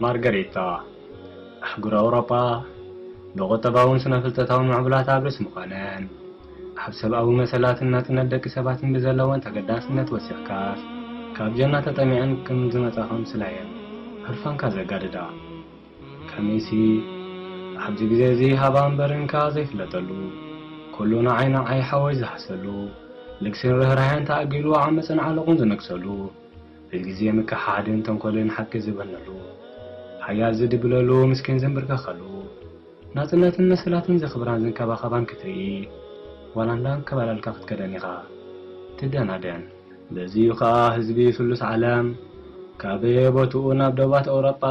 ማርገሪታ፣ ኣህጉር ኣውሮጳ ብቁጠባውን ስነ-ፍልጠታውን ምዕቡላት ኣብ ርእሲ ምዃነን፣ ኣብ ሰብኣዊ መሰላትን ናጽነት ደቂ ሰባትን ብዘለወን ተገዳስነት ወሲኽካስ፣ ካብ ጀና ተጠሚዐን ከም ዝመጻ ከምስላ እየን ህርፋንካ ዘጋድዳ። ከመይሲ፣ ኣብዚ ግዜ እዚ ሃባ እምበር እንካ ዘይፍለጠሉ፣ ኩሉ ንዓይ ንዓይ ሓወይ ዝሃሰሉ፣ ልግስን ርህራሄን ተኣጊዱ ዓመጽን ዓለቑን ዝነግሰሉ፣ ብግዜ ምክሓድን ተንኮልን ሓቂ ዝበነሉ፣ ሓያል ዝድብለሉ፣ ምስኪን ዝንብርከኸሉ፣ ናጽነትን መሰላትን ዘኽብራን ዝንከባኸባን ክትርኢ፣ ዋላ እንዳንከባለልካ ክትከደን ኢኻ ትደናደን። በዚ'ዩ ኸኣ ህዝቢ ስሉስ ዓለም፣ ካብ በየቦትኡ ናብ ደባት ኤውሮጳ፣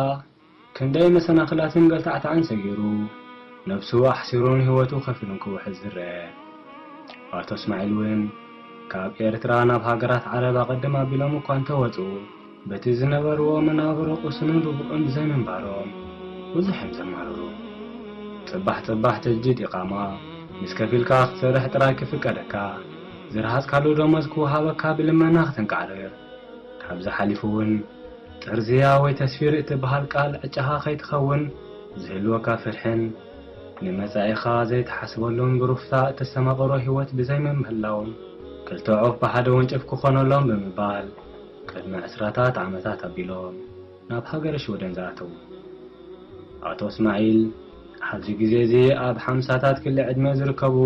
ክንደይ መሰናኽላትን ገልታዕታዕን ሰጊሩ፣ ነብሱ ኣሕሲሩን ህይወቱ ከፊሉን ክውሕዝ ዝረአ። ኣቶ እስማዒል እውን ካብ ኤርትራ ናብ ሃገራት ዓረብ ኣቐድም ኣቢሎም እኳ እንተወጹ፣ በቲ ዝነበርዎ መናብሮ ቅሱንን ርቡእን ብዘይ ምንባሮም ብዙሕ እዮም ዘማርሩ። ጽባሕ ጽባሕ ተጅዲድ ኢቓማ ምስ ከፊልካ ክትሰርሕ ጥራይ ክፍቀደካ፣ ዝረሃጽካሉ ደሞዝ ክወሃበካ ብልመና ክትንቃዕርር፣ ካብዚ ሓሊፉ እውን ጥርዝያ ወይ ተስፊር እትበሃል ቃል ዕጫኻ ከይትኸውን ዝህልወካ ፍርሕን ንመጻኢኻ ዘይትሓስበሉን ብሩፍታ እተስተማቕሮ ህይወት ብዘይ ምምህላውን ክልተ ዑፍ ብሓደ ወንጭፍ ክኾነሎም ብምባል ቅድሚ ዕስራታት ዓመታት ኣቢሎም ናብ ሃገረ ሽወደን ዝኣተዉ። ኣቶ እስማዒል ኣብዚ ግዜ እዚ ኣብ ሓምሳታት ክሊ ዕድመ ዝርከቡ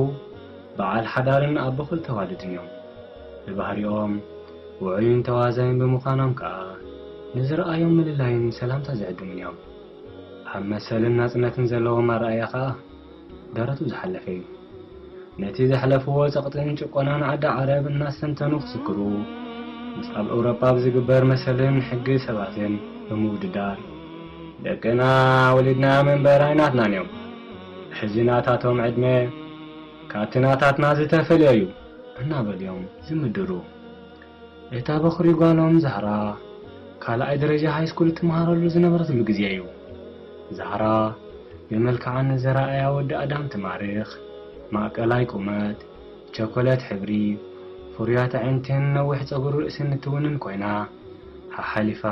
በዓል ሓዳርን ኣቦ ክልተ ዋልድን እዮም። ብባህሪኦም ውዑይን ተዋዛይን ብምዃኖም ከኣ ንዝረኣዮም ምልላይን ሰላምታ ዝዕድሙን እዮም። ኣብ መሰልን ናጽነትን ዘለዎም ኣረኣእያ ከኣ ደረቱ ዝሓለፈ እዩ። ነቲ ዘሕለፍዎ ጸቕጥን ጭቆናን ዓዲ ዓረብ እናስተንተኑ ክዝክሩ፣ ምስ ኣብ ኤውሮጳ ብዝግበር መሰልን ሕጊ ሰባትን ብምውድዳር፣ ደቅና ወሊድናዮም እምበር ኣይናትናን እዮም። ሕጂ ናታቶም ዕድመ ካብቲ ናታትና ዝተፈልየ እዩ እናበሉ እዮም ዝምድሩ። እታ በኹሪ ጓሎም ዛህራ ካልኣይ ደረጃ ሃይስኩል እትመሃረሉ ዝነበረትሉ ግዜ እዩ። ዛህራ ብመልክዓ ንዘረኣያ ወዲ ኣዳም ትማርኽ። ማእከላይ ቁመት፣ ቸኮለት ሕብሪ፣ ፍሩያት ኣዒንትን ነዊሕ ጸጉሪ ርእስን እትውንን ኮይና፣ ሓሓሊፋ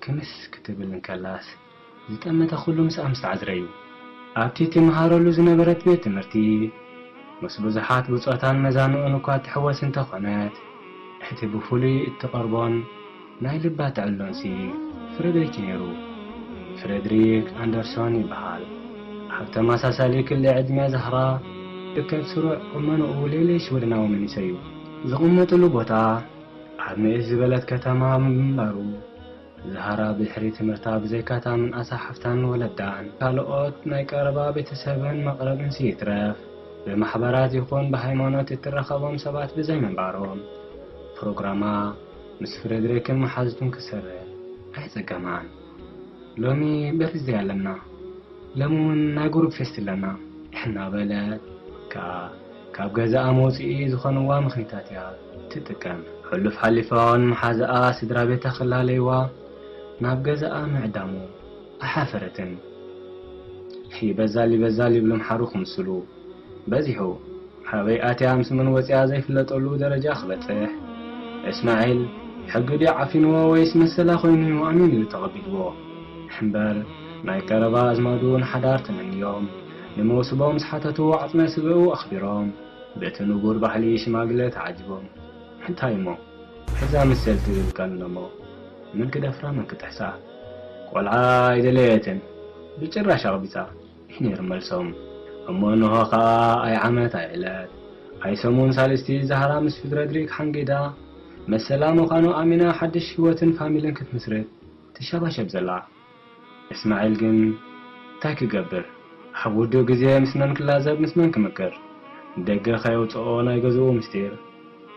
ክምስ ክትብል እንከላስ፣ ዝጠመተ ኩሉ ምስኣ ምስ ተዓዝረ እዩ። ኣብቲ ትመሃረሉ ዝነበረት ቤት ትምህርቲ፣ ምስ ብዙሓት ብጾታን መዛንኡን እኳ ትሕወስ እንተኾነት፣ እቲ ብፍሉይ እትቐርቦን ናይ ልባ ትዕልሎንሲ ፍረድሪክ እዩ ነይሩ። ፍረድሪክ ኣንደርሶን ይበሃል። ኣብ ተመሳሳሊ ክሊ ዕድመ ዛህራ ዝርከብ ስሩዕ ቁመንኡ ሌሌ ሽወደናዊ መንእሰይ እዩ። ዝቕመጥሉ ቦታ ኣብ ንእስ ዝበለት ከተማ ምንባሩ፣ ዛህራ ብድሕሪ ትምህርታ ብዘይካታ ምንኣሳ ሓፍታን ወለዳን ካልኦት ናይ ቀረባ ቤተሰብን መቕረብንሲ ይትረፍ ብማሕበራት ይኹን ብሃይማኖት እትራኸቦም ሰባት ብዘይ ምንባሮም፣ ፕሮግራማ ምስ ፍረድሪክን መሓዙቱን ክትሰርሕ ኣየጸገማኣን። ሎሚ በርዝደይ ኣለና፣ ሎሚ እውን ናይ ጉሩብ ፌስት ኣለና እናበለት ከኣ ካብ ገዛኣ መውጽኢ ዝኾንዋ ምኽኒታት እያ ትጥቀም። ሕሉፍ ሓሊፋ እውን መሓዛኣ ስድራ ቤታ ክላለይዋ ናብ ገዛኣ ምዕዳሙ ኣይሓፈረትን። ይበዛል ይበዛል ይብሉ ምሓሩ ክምስሉ በዚሑ። ኣበይ ኣትያ ምስ መን ወጺኣ ዘይፍለጠሉ ደረጃ ክበጽሕ፣ እስማዒል ሕጊ ድዩ ዓፊንዎ ወይስ መሰላ ኮይኑ ኣሚኑ እዩ ተቐቢልዎ። እምበር ናይ ቀረባ ኣዝማዱ ንሓዳር ተመንዮም፣ ንመውስቦ ምስ ሓተቱ ዓጽመ ስግኡ ኣኽቢሮም፣ በቲ ንቡር ባህሊ ሽማግለ ተዓጂቦም። እንታይ እሞ እዛ መሰል ትብል ቃል እሞ መን ክደፍራ መን ክጥሕሳ? ቆልዓ ኣይደለየትን ብጭራሽ ኣቕቢጻ እዩ ነይሩ መልሶም። እሞ እንሆ ኸኣ ኣይ ዓመት ኣይ ዕለት ኣይ ሰሙን ሳልስቲ ዛህራ ምስ ፍረድሪክ ሓንጊዳ መሰላ ምዃኑ ኣሚና ሓድሽ ህይወትን ፋሚልን ክትምስርት ትሸባሸብ ዘላ። እስማዒል ግን እንታይ ክገብር? ኣብ ውዱእ ግዜ ምስ መን ክላዘብ ምስ መን ክምክር? ደገ ከየውጽኦ ናይ ገዝኡ ምስጢር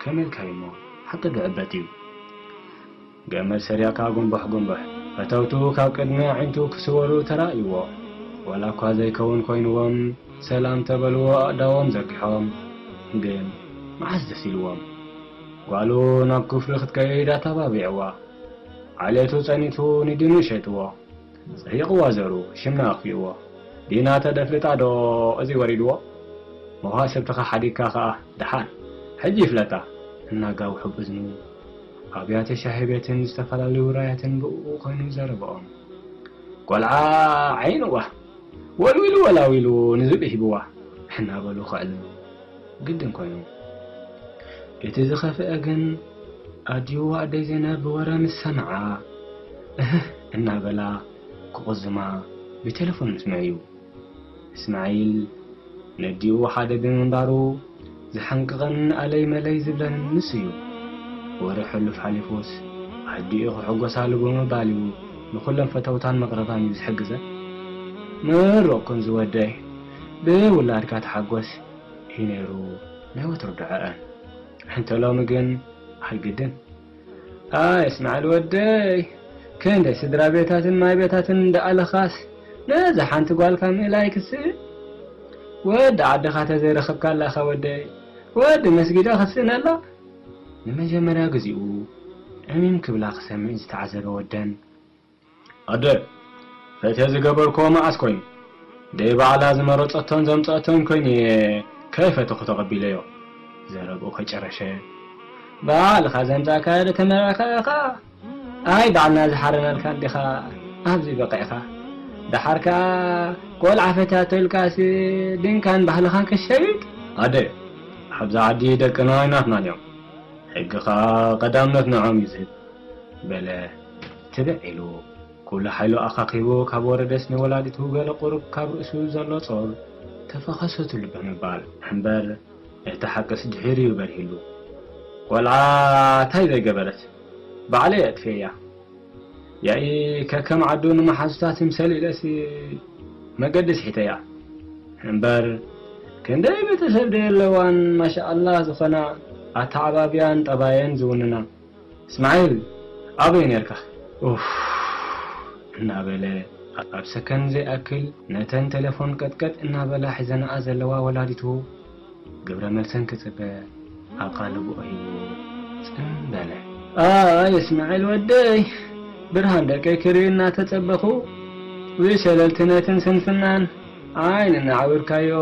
ከመይ ኢልካዩ እሞ ሓቂ ድዕበት እዩ። ገመድ ሰሪቕካ ጉንቡሕ ጉንቡሕ። ፈተውቱ ካብ ቅድሚ ኣዒንቱ ክስወሩ ተራእይዎ። ዋላ እኳ ዘይከውን ኮይንዎም ሰላም ተበልዎ ኣእዳዎም ዘርጊሖም። ግን መዓስ ደስ ኢልዎም? ጓሉ ናብ ክፍሉ ክትከይድ ኣተባቢዕዋ። ዓሌቱ ጸኒቱ ንዲኑ ሸይጥዎ። ጸይቕዋ ዘሩ ሽምና ኣኽፊእዎ። ዲና ተደፍልጣ ዶ እዚ ወሪድዎ? መዋስብትኻ ሓዲግካ ኸኣ ደሓን። ሕጂ ይፍለጣ። እናጋውሑ ብእዝኑ ኣብያተ ሻሂ ቤትን ዝተፈላለዩ ውራያትን ብእኡ ኮይኑ ዘረብኦም። ቆልዓ ዓይንዋ ወልዊሉ ወላዊሉ ንዝብኢ ሂብዋ እናበሉ ከዕልሉ ግድን ኮይኑ። እቲ ዝኸፍአ ግን ኣዲኡ ኣደይ ዘይነብ ብወረ ምስ ሰምዓ እህህ እናበላ ክቕዝማ ብቴሌፎን ምስምዐ እዩ። እስማዒል ነዲኡ ሓደ ብምንባሩ ዝሓንቅቐን ኣለይ መለይ ዝብለን ንሱ እዩ። ወረ ሕሉፍ ሓሊፉስ ኣዲኡ ክሕጎሳሉ ብምባል እዩ ንኹሎም ፈተውታን መቕረባን እዩ ዝሕግዘን። ምሩቕ ኩን ዝወደይ፣ ብውላድካ ተሓጎስ እዩ ነይሩ ናይ ወትሩ ድዐአን። እንተ ሎሚ ግን ኣይግድን። ኣይ እስማዕል ወደይ፣ ክንደይ ስድራ ቤታትን ማይ ቤታትን እንዳኣለኻስ ነዛ ሓንቲ ጓልካ ምእላይ ክስእ? ወዲ ዓድኻ ተዘይረኸብካ ኣለኻ ወደይ፣ ወዲ መስጊዳ ክስእነላ። ንመጀመርያ ግዚኡ ዕሚም ክብላ ክሰምዕ ዝተዓዘበ ወደን፣ ኣደ፣ ፈትየ ዝገበርክዎ መዓስ ኮይኑ? ደይ ባዕላ ዝመረጸቶን ዘምጸአቶን ኮይኑ እየ ከይፈተኹ ተቐቢለዮ። ዘረብኡ ከጨረሸ፣ ባዕልኻ ዘምጻእካዮ ዶ ተመርዕኻ ኢኻ? ኣይ ባዕልና ዝሓረናልካ እንዲኻ ኣብዚ በቒዕኻ። ደሓር ከኣ ቆልዓ ፈትያቶ ኢልካሲ ድንካን ባህልኻን ክሸይጥ? ኣደ፣ ኣብዚ ዓዲ ደቅና ኣይናትናን እዮም። ሕጊ ኸኣ ቀዳምነት ንዖም እዩ ዝህብ። በለ ትብዕ ኢሉ። ኩሉ ሓይሉ ኣኻኺቡ ካብ ወረደስ ንወላዲቱ ገለ ቁሩብ ካብ ርእሱ ዘሎ ጾር ተፈኸሰትሉ ብምባል እምበር እቲ ሓቅስ ድሒሩ እዩ በርሂሉ። ቆልዓ እንታይ ዘይገበረት? ባዕለይ ኣጥፍኤያ። ያኢ ከከም ዓዱ ንመሓዙታ ትምሰል ኢለሲ መገዲ ስሒተያ። እምበር ክንደይ ቤተሰብ ደየለዋን ማሻኣላህ ዝኾና ኣተዓባብያን ጠባየን ዝውንና። እስማዒል ኣበይ ነርካ? ኡፍ እናበለ ኣብ ሰከን ዘይኣክል ነተን ቴሌፎን ቀጥቀጥ እናበላ ሒዘንኣ ዘለዋ ወላዲቱ ግብረ መልሰን ክጽበ ኣቓልቦ ሂቡ ጽን በለ። ኣይ እስማዒል ወደይ፣ ብርሃን ደቀይ ክርኢ እናተጸበኹ ብሸለልትነትን ስንፍናን ዓይኒ እናዓወርካዮ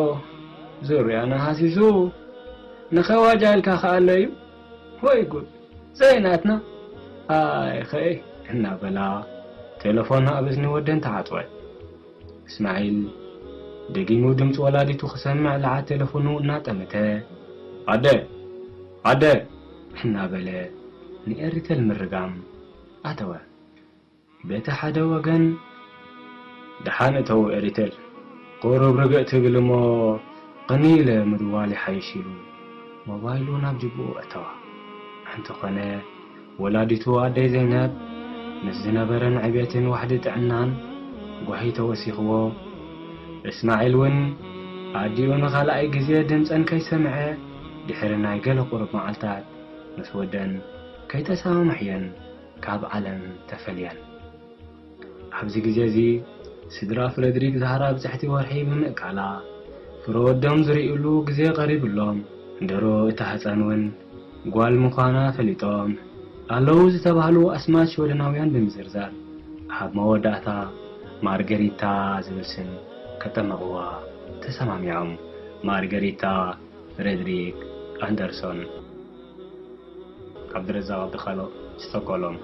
ዙርያና ሃሲሱ ንኸዋጃ ኢልካ ከኣለዩ ወይ ጉድ ዘይናትና ኣይኸይ እናበላ ቴለፎን ኣብ እዝኒ ወደን ተዓጽወት። እስማዒል ደጊሙ ድምፂ ወላዲቱ ክሰምዕ ለዓት ቴለፎኑ እናጠመተ ኣደ ኣደ እናበለ ንኤሪተል ምርጋም ኣተወ። በቲ ሓደ ወገን ደሓን እተው ኤሪተል ቁሩብ ርግእ ትብል እሞ ቕንይ ኢለ ምድዋል ይሓይሽ ኢሉ ሞባይሉ ናብ ጅብኡ ኣእተዋ። እንተኾነ ወላዲቱ ኣደይ ዘይነብ ምስ ዝነበረን ዕቤትን ዋሕዲ ጥዕናን ጓሂ ተወሲኽዎ እስማዒል እውን ኣዲኡ ንኻልኣይ ግዜ ድምፀን ከይሰምዐ ድሕሪ ናይ ገለ ቁሩብ መዓልታት ምስ ወደን ከይተሰማምሕየን ካብ ዓለም ተፈልየን። ኣብዚ ግዜ እዚ ስድራ ፍረድሪክ ዛህራ ብፅሕቲ ወርሒ ብምእካላ ፍረ ወዶም ዝርእይሉ ግዜ ቀሪብሎም። ድሮ እታ ህፃን እውን ጓል ምዃና ፈሊጦም ኣለዉ ዝተባህሉ ኣስማት ሽወደናውያን ብምዝርዛር ኣብ መወዳእታ ማርገሪታ ዝብል ስም ከጠመቕዋ ተሰማሚዖም። ማርገሪታ ፍሬድሪክ ኣንደርሶን። ዓብድረዛቕ ዓብድኻልቕ፣ ስቶኮሎም።